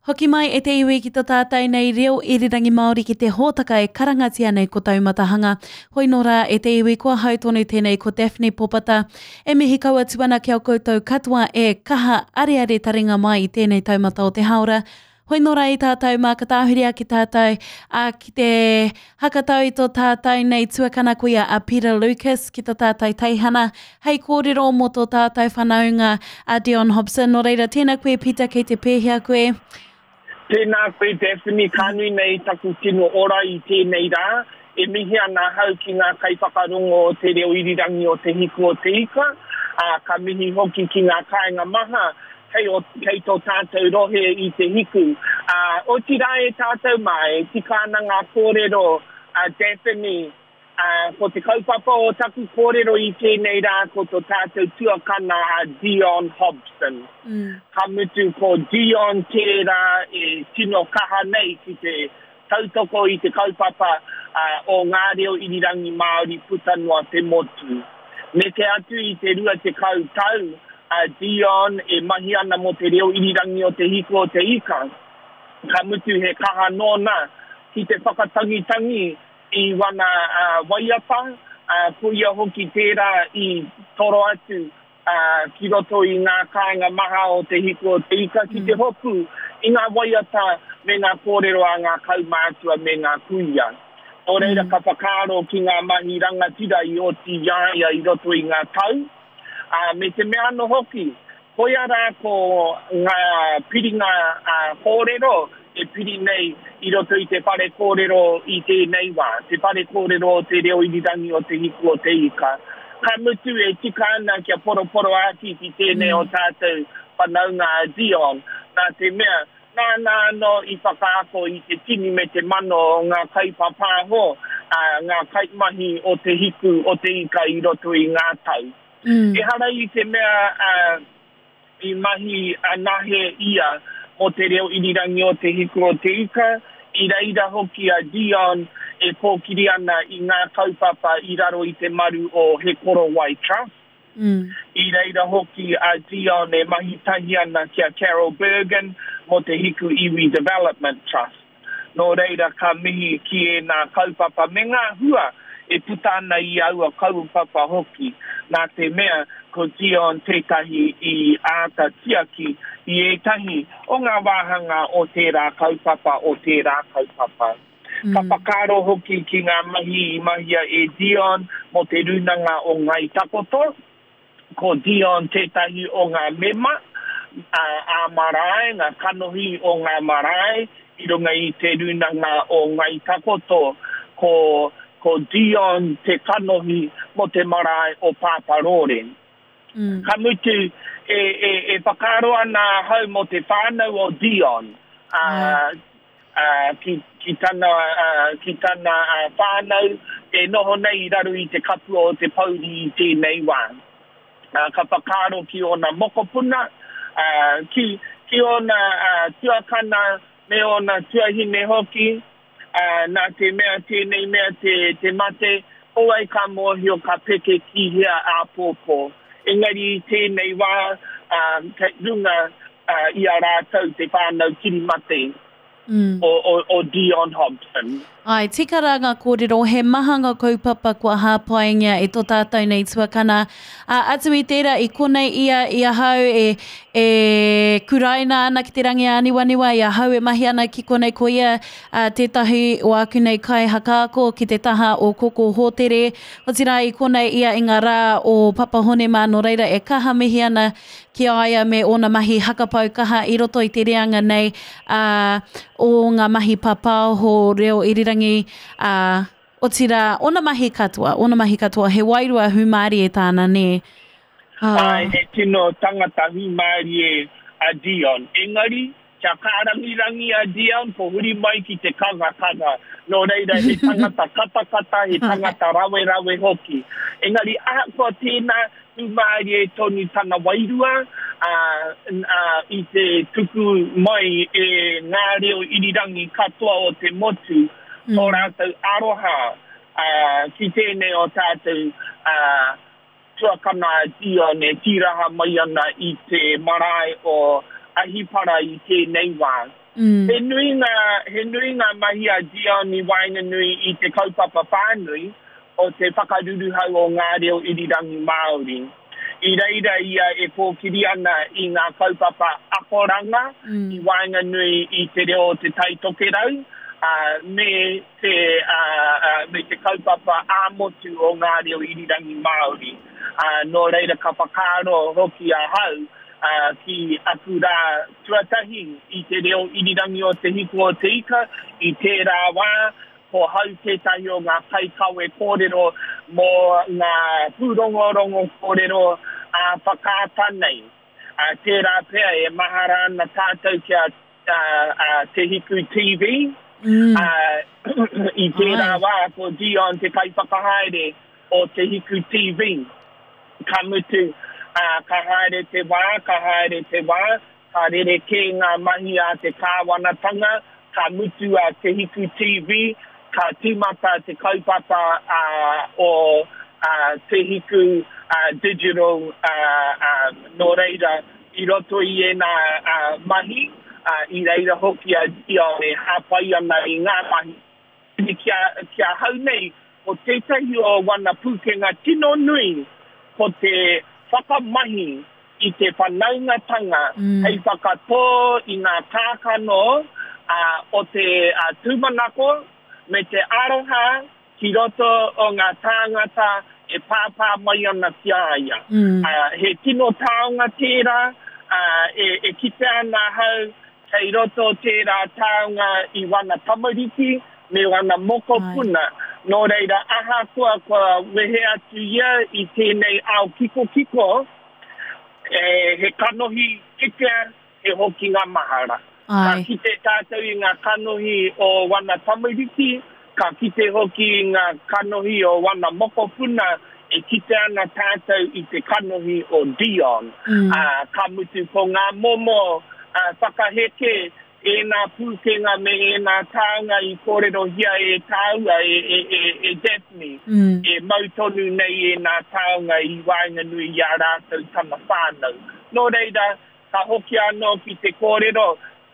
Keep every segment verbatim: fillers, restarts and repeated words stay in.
Hoki mai e te iwi ki to tātou nei reo irirangi Māori ki te hōtaka e karangatia nei ko Taumatahanga. Hoi nō rā e te iwi ko ahau tonu tēnei ko Daphne Popata. E mihi kau atu ana ki a koutou katoa e kaha areare taringa mai i tēnei taumata o te haora. Hoi nō rā i tātou mā ka tāhuri ake tātou a, ki te hakatau i tō tātou nei tuakana koia a Peter Lucas ki tō tātou teihana hei kōrero mō tō tātou whanaunga a Dion Hobson. Nō reira, tēnā koe Peter, kei te pēhea koe? Tēnā koe Daphne, ka nui nei taku tino ora i tēnei rā. E mihi ana ahau ki ngā kaiwhakarongo o te reo irirangi o Te Hiku o Te Ika, ā, ka mihi hoki ki ngā kāinga maha kei, o, kei tō tātou rohe i Te Hiku. Ā, otirā e tātou mā, e tika ana ngā kōrero a Daphne, ā, ko te kaupapa o taku kōrero i tēnei rā ko tō tātou tuakana a Dion Hobson. Mm. Ka mutu ko Dion tērā e tino kaha nei ki te tautoko i te kaupapa uh, o ngā reo irirangi Māori puta noa te motu. Neke atu i te rua tekau tau a Dion e mahi ana mō te reo irirangi o Te Hiku o Te Ika. Ka mutu he kaha nōna ki te whakatangitangi i wana uh, waiata, uh, ko ia hoki tērā i toro atu uh, ki roto i ngā kāinga maha o Te Hiku o Te Ika ki te hopu i ngā waiata me ngā kōrero a ngā kaumātua me ngā kuia. Nō reira ka whakaaro ki ngā mahi rangatira i oti i a ia i roto i ngā tau. Uh, me te mea anō hoki, koia rā ko ngā piringa uh, kōrero e piri nei i roto i te whare kōrero i tēnei wā, te whare kōrero o te reo irirangi o Te Hiku o Te Ika. Ka mutu e tika ana kia poroporo āki ki tēnei o tātou whanaunga a Dion, nā te mea, nāna anō i whakaako i te tini me te mano o ngā kaipapāho, uh, ngā kaimahi o Te Hiku o Te Ika i roto i ngā tau. Mm. Ehara i te mea uh, i mahi anahe ia mō te reo irirangi o Te Hiku o Te Ika, i reira hoki a Dion e kōkiri ana i ngā kaupapa i raro i te maru o He Korowai Trust. Mm. I reira hoki a Dion e mahi tahi ana ki a Carol Bergen mō Te Hiku Iwi Development Trust. Nō reira ka mihi ki e nā kaupapa me ngā hua e puta ana i aua kaupapa hoki. Nā te mea ko Dion tētahi i āta tiaki i ētahi o ngā wāhanga o tērā kaupapa o tērā kaupapa. Mm. Ka whakaaro hoki ki ngā mahi i mahia e Dion mō te rūnanga o Ngai Takoto. Ko Dion tētahi o ngā mema ā marae, ngā kanohi o ngā marae i runga i te rūnanga o Ngai Takoto. Ko, ko Dion te kanohi mō te marae o Pāparore. Mm. Ka mutu e, e, e whakaaro ana ahau mō te whānau o Dion, uh, uh, ki, ki tana, uh, ki tana uh, whānau e noho nei i raro i te kapua o te pouri i tēnei wā. Uh, ka whakaaro ki ōna mokopuna, uh, ki, ki ōna uh, tuakana me ōna tuahine hoki, uh, nā te mea tēnei mea te, te mate, ko wai ka mōhio ka peke ki hea āpōpō. Engari i tēnei wā, um, kei runga uh, i a rātou te whānau kirimate mm. o, o, o Dion Hobson. Ai, tika rā ngā kōrero, he maha ngā kaupapa kua hāpaingia e tō tātou nei tuakana. Uh, atu i tērā, i konei ia i ahau e, e kuraina ana ki te rangi āniwaniwa, i ahau e mahi ana ki konei ko ia uh, tētahi o aku nei kai hakaako ki te taha o Koko Hōtere. Otirā i konei ia i ngā rā o Papa Hone mā, nō reira e kaha mihi ana ki a ia me ōna mahi hakapau kaha i roto i te reanga nei uh, o ngā mahi papaoho reo irirangi, uh, otirā, ōna mahi katoa, ōna mahi katoa, he wairua hūmārie tāna, nē. Ah. Ai, he tino tangata hūmārie a Dion. Engari, kia kārangirangi a Dion, ko huri mai ki te kangakanga. Nō reira, he tangata katakata, he tangata rawerawe hoki. Engari, ahakoa tēnā, hūmārie tonu tana wairua, uh, uh, i te tuku mai e ngā reo irirangi katoa o te motu, Mm. tō rātou aroha uh, ki tēnei o tātou uh, tuakana a Dion e tīraha mai ana i te marae o Ahipara i tēnei wā. Mm. He nui ngā, he nui ngā mahi a Dion i waenganui i te kaupapa whānui o te whakaruruhau o ngā reo irirangi Māori. I reira ia e kōkiri ana i ngā kaupapa akoranga mm. i waenganui i te reo o te Tai Tokerau, uh, me, te, uh, uh, me te kaupapa ā-motu o ngā reo irirangi Māori. Uh, nō reira ka whakaaro hoki ahau uh, ki aku rā tuatahi i te reo irirangi o Te Hiku o Te Ika i tērā wā, ko hau tētahi o ngā kaikawe kōrero mō ngā pūrongorongo kōrero a whakaata nei. Uh, tērā pea e mahara ana tātou ki a, a, a Te Hiku T V. Mm. Uh, i tērā wā ko Dion te kaiwhakahaere o Te Hiku T V. Ka mutu, uh, ka haere te wā, ka haere te wā, ka rerekē ngā mahi a te kāwanatanga, ka mutu a Te Hiku T V, ka tīmata te kaupapa uh, o uh, Te Hiku uh, Digital, uh, uh, nō reira i roto i ēnā uh, mahi, uh, i reira hoki a Dion e hāpai ana i ngā mahi. Kia, kia hau nei, ko tētahi o wana pūkenga tino nui, ko te whakamahi i te whanaungatanga mm. hei whakatō i ngā kākano uh, o te uh, tūmanako me te aroha ki roto o ngā tāngata e pāpā mai ana ki a ia. Mm. Uh, he tino taonga tērā, uh, e, e kite ana hau kei roto tērā taonga i wana tamariki me wana mokopuna. Ai. Nō reira ahakoa kua wehe atu ia i tēnei ao kikokiko, e, he kanohi kitea, he hoki ngā mahara. Ai. Ka kite tātou i ngā kanohi o wana tamariki, ka kite hoki i ngā kanohi o wana mokopuna, e kite ana tātou i te kanohi o Dion. Mm. Uh, ka mutu ko ngā momo uh, whakaheke, ēnā pūkenga me ēnā taonga i kōrerohia e tāua, e, e, e, e Daphne, mm. e mau tonu nei ēnā taonga i waenganui i a rātou tana whānau. Nō reira, ka hoki anō ki te kōrero,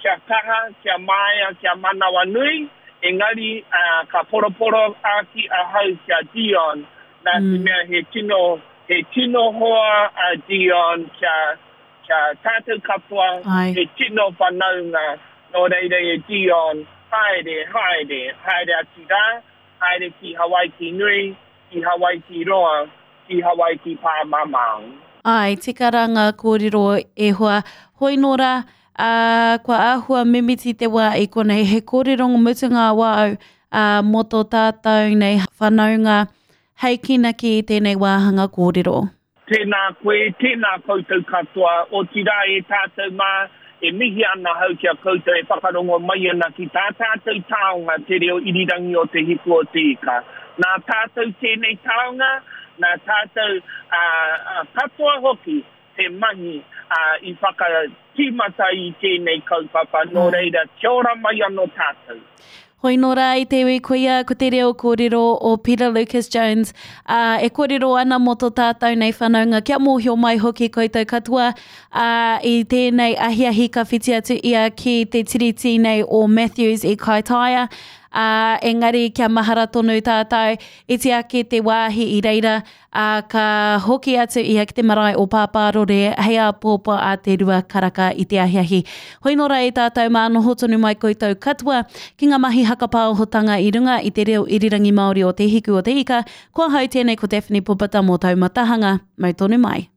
kia kaha, kia māia, kia manawa nui, engari uh, ka poroporo āki ahau kia Dion, nā mm. te mea he tino, he tino hoa a Dion kia, kia tātou katoa, Ai. He tino whanaunga, nō reira e Dion, haere, haere, haere atu rā, haere ki Hawaiki nui, ki Hawaiki roa, ki Hawaiki pāmamao. Ai, tika rā ngā kōrero e hoa. Hoi nō rā, uh, kua āhua mimiti te wā i konei, he kōrero mutunga wāu uh, mō tō tātou nei whanaunga hei kinaki i tēnei wāhanga kōrero. Tēnā koe, tēnā koutou katoa, otirā e tātou mā, e mihi ana hau ki a koutou e whakarongo mai ana ki tā tātou taonga te reo irirangi o Te Hiku o Te Ika. Nā tātou tēnei taonga, nā tātou uh, katoa hoki te mahi uh, i whakatīmata i tēnei kaupapa, nō reira, kia ora mai anō tātou. Hoi nō rā i te iwi koia ko te reo kōrero o Peter Lucas Jones, uh, e kōrero ana mō tō tātou nei whanaunga, kia mōhio mai hoki koutou katoa uh, i tēnei ahiahi ka whiti atu ia ki te tiriti nei o Matthews i Kaitaia, uh, engari kia mahara tonu tātou, iti ake te wāhi i reira, uh, ka hoki atu ia ki te marae o Pāpārore hei āpōpō a te rua karaka i te ahiahi. Hoi nō rā e tātou mā noho tonu mai koutou katoa ki ngā mahi hakapāohotanga i runga i te reo irirangi Māori o Te Hiku o Te Ika. Ko ahau tēnei ko Daphne Popata mō Taumatahanga. Mau tonu mai.